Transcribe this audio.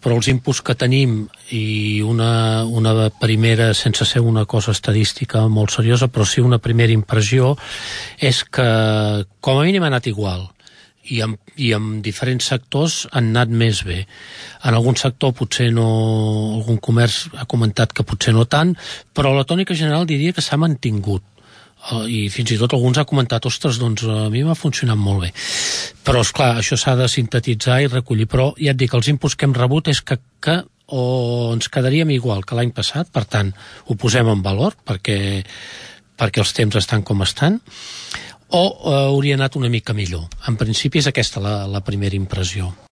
però els inputs que tenim i una primera, sense ser una cosa estadística molt seriosa, però sí una primera impressió, és que com a mínim ha anat igual. I en diferents sectors han anat més bé. En algun sector potser no, algun comerç ha comentat que potser no tant, però la tònica general diria que s'ha mantingut. I fins i tot alguns ha comentat, ostres, doncs a mi m'ha funcionat molt bé. Però, esclar, això s'ha de sintetitzar i recollir. Però ja et dic, els inputs que hem rebut és que o ens quedaríem igual que l'any passat, per tant, ho posem en valor perquè els temps estan com estan, o hauria anat una mica millor. En principi és aquesta la primera impressió.